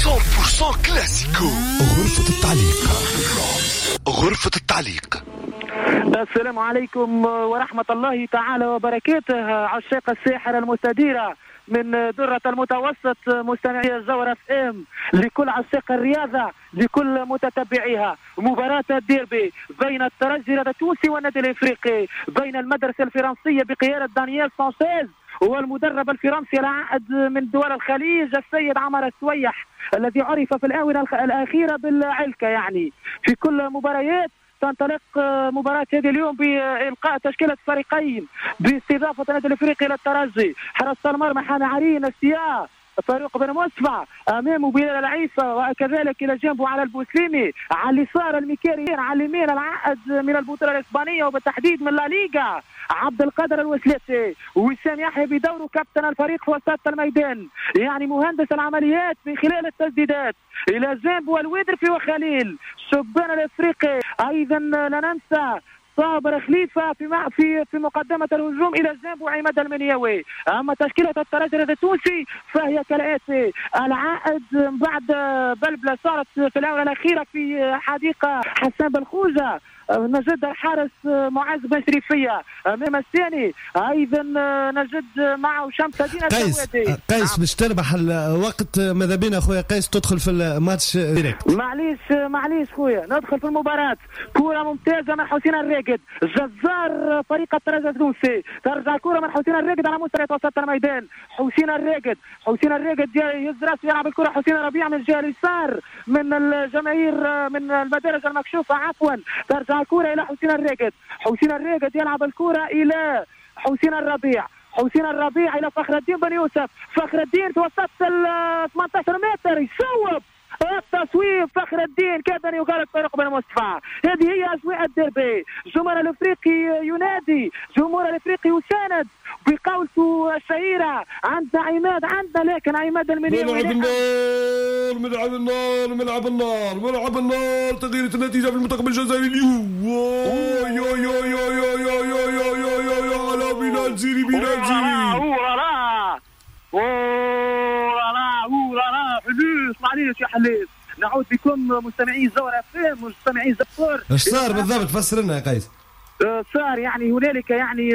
100% كلاسيكو. غرفة التعليق، غرفة التعليق. السلام عليكم ورحمة الله تعالى وبركاته، عشاق الساحرة المستديرة من درة المتوسط، مستمعي الجوهرة اف ام، لكل عشاق الرياضة، لكل متتبعيها. مباراة الديربي بين الترجي التونسي والنادي الافريقي، بين المدرسة الفرنسية بقيادة دانيال سانشيز والمدرب الفرنسي العائد من دول الخليج السيد عمر السويح، الذي عرف في الآونة الأخيرة بالعلكة. يعني في كل مباريات تنطلق مباراة هذه اليوم بإلقاء تشكيلة فريقين باستضافة النادي الافريقي للترجي. حراسة المرمى حامي عرين السياء فاروق بن مصطفى، امامه بلال العيسى، وكذلك الى جنبه على البوسليمي، على اليسار الميكاري، على اليمين العائد من البطولة الاسبانية وبالتحديد من لا ليغا عبد القادر الوسلاتي، وسام يحيى بدوره كابتن الفريق في وسط الميدان، يعني مهندس العمليات من خلال التسديدات. الى جنبه الويدرفي وخليل شبان الافريقي. ايضا لا ننسى صابر خليفة في مقدمه الهجوم، الى جانبه عماد المنياوي. اما تشكيله الترجي التونسي فهي كالاتي: العائد بعد بلبلة صارت في الاونة الاخيرة في حديقة حسان بالخوجه، نجد الحارس معاذ بن شريفيه امام الثاني، ايضا نجد معه شمس الدين قيس. قيس باش تربح الوقت ماذا بينا خويا قيس تدخل في الماتش direct. معليش معليش خويا، ندخل في المباراة. كرة ممتازة من حسين الراقد، جزار فريق الترجي التونسي. ترجع الكرة من حسين الراقد على مستوى وسط الميدان. حسين الراقد، حسين الراقد يهز راسه يلعب الكرة حسين ربيع من الجهة اليسار من الجماهير من المدارج المكشوفة عفوا. ترجع الكرة إلى حسين الراقد، حسين الراقد يلعب الكرة إلى حسين الربيع، حسين الربيع إلى فخر الدين بن يوسف، فخر الدين في وسط ال 18 متر يصوب التصويب، فخر الدين كاد ان يغالط فاروق بن مصطفى. هذه هي اجواء الديربي، جمهور الافريقي ينادي، جمهور الافريقي يساند بقولته الشهيرة عندنا عماد عندنا، لكن عماد المنياوي. ملعب النار، ملعب النار، ملعب النار، ملعب النار، تغيير النتيجة في المنتخب الجزائري اليوم. يو يو يو يو يو يو يو يو يو يو على بلال زيري، بلال زيري. حلوس معليش يا حليس. نعود بكم مستمعي الجوهرة اف ام، مستمعي زفور. ايش صار بالضبط؟ فسر لنا يا قيس. صار يعني هنالك يعني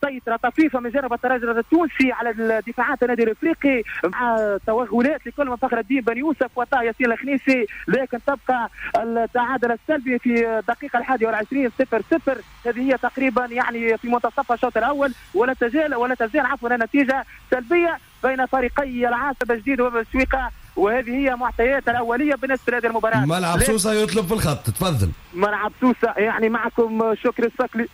سيطرة طفيفة من جانب الترجي التونسي على دفاعات النادي الافريقي مع توغلات لكل من فخر الدين بن يوسف وطه ياسين الخنيسي، لكن تبقى التعادل السلبي في الدقيقة 21 0-0. هذه هي تقريبا يعني في منتصف الشوط الأول، ولا تزال عفوا النتيجة سلبية بين فريقي العاصمة الجديد وبسويقة، وهذه هي معطيات الأولية بالنسبة لهذه المباراة. ملعب سوسة يطلب في الخط، تفضل. ملعب سوسة يعني معكم شكري الصقلي.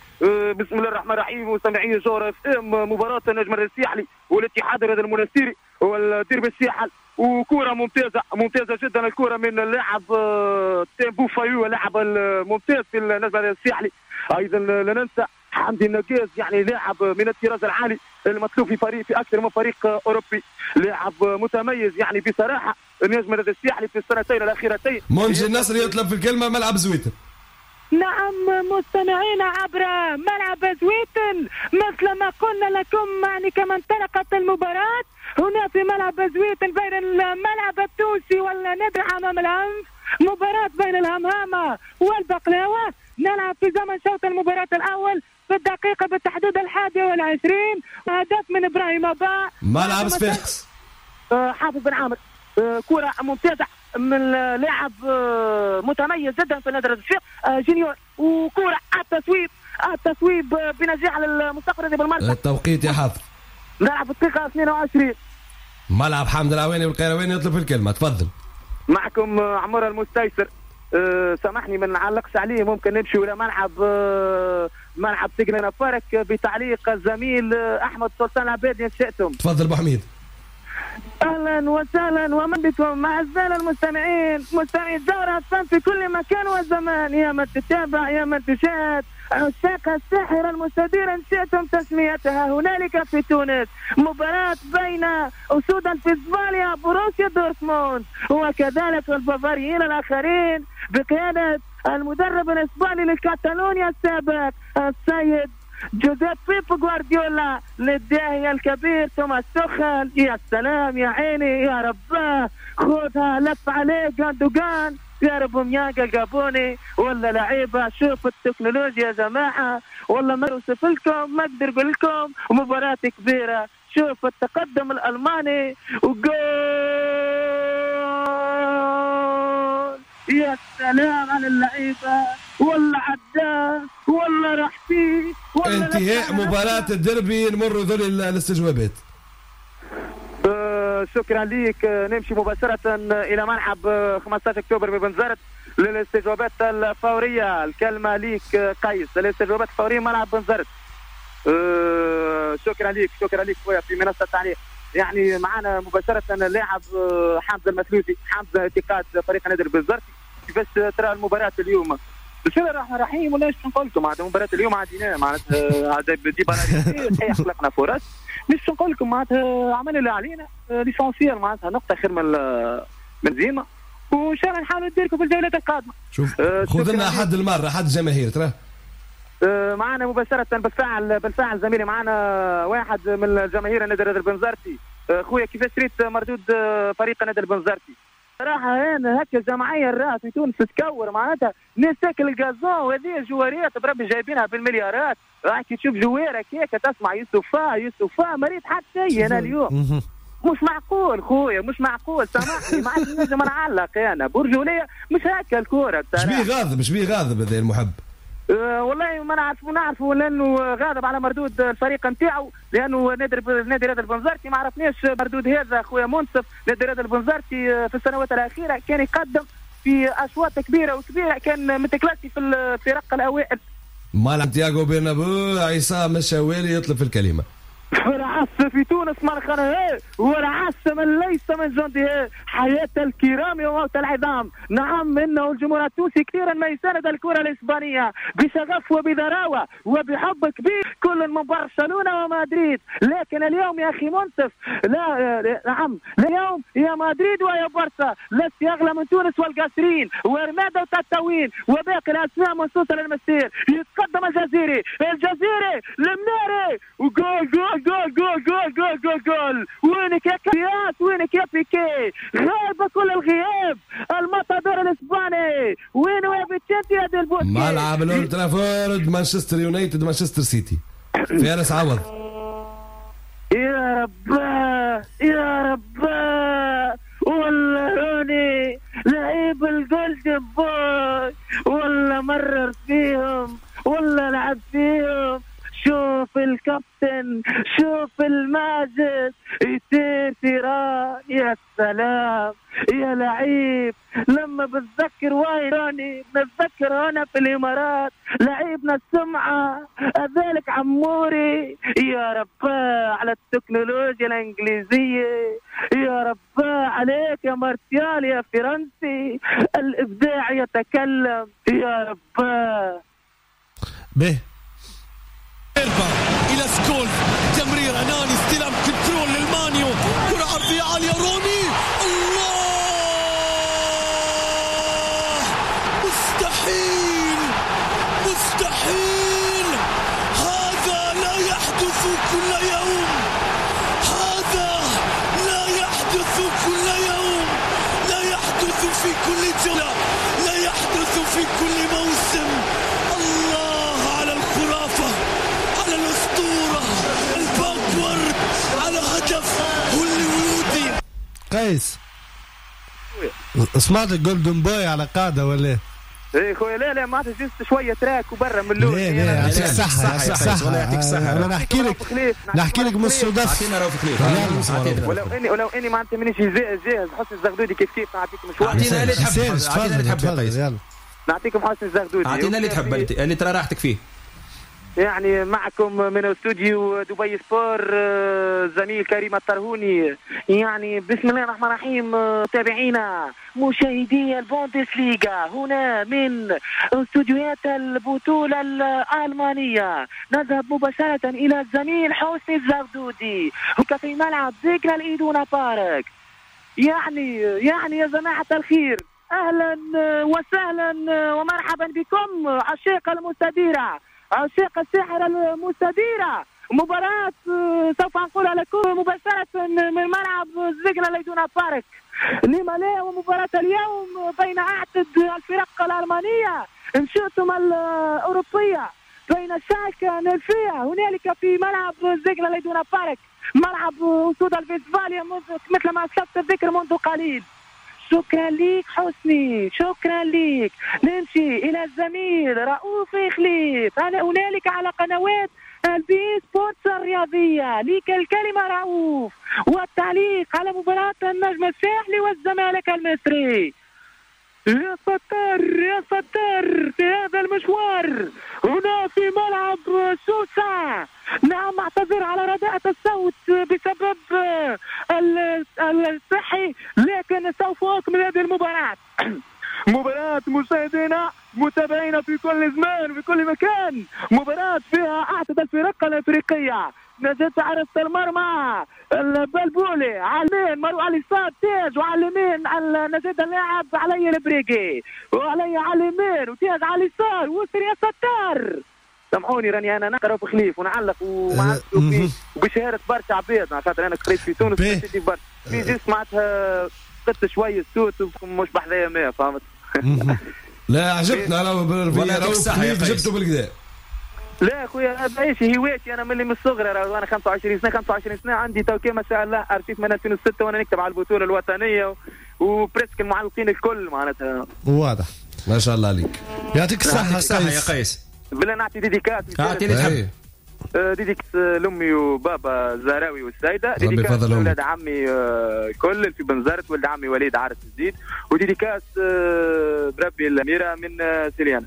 بسم الله الرحمن الرحيم، مستمعي جوهرة اف ام، مباراة النجم الساحلي والاتحاد الرياضي المنستيري والديربي الساحل، وكرة ممتازة ممتازة جدا الكرة من اللاعب تيمبو فايو، اللاعب الممتاز في النجم الساحلي. أيضا لا ننسى حمدي النقاز، يعني لاعب من الطراز العالي المطلوب في فريق في اكثر من فريق اوروبي، لاعب متميز يعني بصراحة. النجم الساحلي في السنتين الاخيرتين. منجي النصر يطلب في الكلمة، ملعب زويتن. نعم مستمعين عبر ملعب زويتن، مثل ما قلنا لكم يعني كما انطلقت المباراة هنا في ملعب زويتن بين الملعب التونسي والنادي حمام الأنف، مباراة بين الهمهامة والبقلاوة. نلعب في زمن شوط المباراة الأول في الدقيقة بالتحديد 21، هدف من إبراهيم أبا. ملعب صفاقس. حافظ بن عامر، كرة ممتازة من لاعب متميز جدا في النادي الصفاقسي جونيور، وكرة التصويب، التصويب بنجاح للمستقبل بالمرمى. التوقيت يا حافظ. نلعب في الدقيقة 22. ملعب حمد العواني والقيرواني يطلب الكلمة، تفضل. معكم عمر المستيسر. سامحني ما نعلقش عليه، ممكن نمشي ولا ملعب ملعب سجن فارك بتعليق الزميل احمد سلطان العبادي ان شئتم. تفضل ابو حميد. اهلا وسهلا ومن بكم اعزائنا المستمعين، مستمعي الجوهرة في كل مكان وزمان، يا من تتابع يا من تشاهد عشاق الساحرة المستديرة إن شئتم تسميتها. هنالك في تونس مباراة بين أسود الفيسفاليا بروسيا دورتموند وكذلك البافاريين الآخرين بقيادة المدرب الإسباني لكاتالونيا السابق السيد جوزيف بيب غوارديولا للداهية الكبير توماس توخل. يا سلام يا عيني يا رباه، خذها لف عليه جاندوغان يا رب ميانجا الجابوني ولا لعيبة. شوف التكنولوجيا يا جماعة، والله ما اوصف لكم، ما اقدر اقول لكم، مباراة كبيرة. شوف التقدم الالماني وجول، يا سلام على اللعيبة، والله عداه والله راح فيه. انتهاء مباراة الديربي، نمر ذول الاستجوابات. شكرا ليك. نمشي مباشرة إلى ملعب 15 أكتوبر ببنزرت للاستجوابات الفورية. الكلمة ليك قيس، الاستجوابات الفورية ملعب بنزرت. شكرا ليك، شكرا ليك خويا في منصة التعليق. يعني معنا مباشرة اللاعب حمزة المثلوثي. حمزة، انتقاد فريق نادي البنزرتي، كيفاش ترى المباراة اليوم؟ بسم الله الرحمن الرحيم. ولا ايش نقول لكم، معناتها مباراة اليوم عادينا، معناتها دي صحيح خلقنا فرص، مش نقول لكم معناتها عملنا اللي علينا، l'essentiel معناتها نقطة خير من زيما، وان شاء الله نحاولوا نديركم في الجولات القادمة. شوف خذ لنا احد المرة احد الجماهير ترى معنا مباشرة. بالفعل زميلي، معنا واحد من الجماهير النادي البنزرتي. خويا كيفاش ريت مردود فريق النادي البنزرتي؟ صراحة أنا هكا الجمعية الراه في تونس تكور، معناتها ناس تاكل ال gazon، وهذه جواريات بربي جايبينها بالمليارات. راح كي تشوف جوارك هيك تسمع يوسفا يوسفا، ما ريت حتى شيء أنا اليوم. مش معقول خويا، مش معقول، سامحني ما عادش نجم نعلق أنا برجولية، مش هكا الكورة. مش بيه غاضب، مش بيه غاضب هذا المحب. والله ما نعرفوا لانه غاضب على مردود الفريق نتاعو، لانه نادي رياض البنزرتي ما عرفناش مردود هذا خويا منصف. نادي رياض البنزرتي في السنوات الاخيرة كان يقدم في اشواط كبيرة وكبيره، كان متكلاسي في الفرق الاوائل. مال تياغو برنابو، عصام الشوالي يطلب في الكلمة. ورعس في تونس مرخنه، ورعس من ليس من جنده، حياة الكرام وموت العظام. نعم إنه الجمهور التونسي كثيرا ما يساند الكرة الإسبانية بشغف وبذراوة وبحب كبير، كل من برشلونة ومدريد. لكن اليوم يا أخي منصف، لا نعم اليوم يا مدريد ويا برشا لست يغلى من تونس والقاسرين ورمادة وتتاوين وباقي الأسماء منصوصة للمسير. يتقدم الجزيري، الجزيري المناري، وجول جول جول جول جول جول جول جول. وينك يا كياس، وينك يا بيكي، غاب كل الغياب المطادور الاسباني. وينو يا فيتشنتي يا ديل بوسكي؟ ملعب الاولد ترافورد، مانشستر يونايتد مانشستر سيتي، فارس عوض. يا رباه يا رباه، والله روني لعيب ال golden boy، والله مرر فيهم والله لعب فيهم. شوف الكابتن، شوف الماجد يطير تيران، يا سلام يا لعيب. لما بتذكر واين روني بنتذكر هنا في الامارات لعيبنا السمعة ذلك عموري. يا رباه على التكنولوجيا الانجليزية، يا رباه عليك يا مارتيال يا فرنسي، الابداع يتكلم يا رباه. به إلى سكولز، تمرير أناني، استلام control للمانيو، كرة عرضية عالية، روني، الله مستحيل مستحيل، هذا لا يحدث كل يوم، هذا لا يحدث كل يوم، لا يحدث في كل جولة، لا يحدث في كل موسم. الله على الخرافة، على الأسطورة، ال backward، على هدف هوليوودي. قيس، سمعت ال golden boy على قاعدة ولا؟ ايه خويا، لا لا ما juste شوية trac وبرا من الاول. لا لا يعطيك الصحة، يعطيك الصحة. يعطيك الصحة. انا نحكي لك من الصدف. اعطينا رؤوف خليف. ولو اني معناتها مانيش جاهز. حسني الزغدودي كيف كيف نعطيكم شوية. اعطينا اللي تحب، اعطينا اللي تحب يا قيس. نعطيكم حسني الزغدودي، اعطينا اللي تحب، اللي ترى راحتك فيه. يعني معكم من استوديو دبي سبور زميل كريم الطرهوني. يعني بسم الله الرحمن الرحيم، تابعينا مشاهدي البوندسليغا هنا من استوديوهات البطولة الألمانية. نذهب مباشرة إلى الزميل حسني الزغدودي في ملعب ذكرى الإيدونا بارك. يعني يا جماعة الخير، أهلا وسهلا ومرحبا بكم عشاق المستديرة. عشاق الساحرة المستديرة. مباراة سوف أنقلها لكم مباشرة من ملعب سيجنال إيدونا بارك، لما لا؟ ومباراة اليوم بين أعتد الفرق الألمانية إن شئتم الأوروبية، بين شالكة نلفية هنالك في ملعب سيجنال إيدونا بارك، ملعب أسود الفيستفاليا مثل ما أسلفت الذكر منذ قليل. شكرا ليك حسني، شكرا ليك. نمشي إلى الزميل رؤوف خليف، أنا هنالك على قنوات البي سبورتس الرياضية. ليك الكلمة رؤوف، والتعليق على مباراة النجم الساحلي والزمالك المصري. يا ستار يا ستار في هذا المشوار هنا في ملعب سوسة. نعم اعتذر على رداءة الصوت بسبب الصحي، لكن سوف أكمل هذه المباراة. مباراة مشاهدينا متابعينا في كل زمان وفي كل مكان، مباراة فيها أعتد الفرق الأفريقية. نجد حارس المرمى البلبولي على اليمين، مروان على اليسار تاج، وعلى اليمين نجد اللاعب علي البريقي، وعلي على اليمين وتاج على اليسار وسر يا ستار. سامحوني راني انا نقرا في خليف ونعلق وبشهاده برشا عباد، خاطر انا قريت في تونس برشا في جيست معناتها قلت شوية الصوت مش بحذايا ما فهمت. لا عجبتنا انا جبته بالكدا. لا خويا ماهيش هوايتي، انا من الصغر، انا 25 سنة 25 سنة عندي تو ما شاء الله ارشيف من 2006 وانا نكتب على البطولة الوطنية و presque المعلقين الكل معناتها. واضح ما شاء الله عليك، يعطيك الصحة يا قيس. بلا نعطي dédicace، اعطيني تحب dédicace لامي وبابا الزهراوي والسيدة، dédicace ولاد عمي الكل في بنزرت، ولد عمي وليد عارف الزيد، و dédicace بربي الاميرة من سيليانا.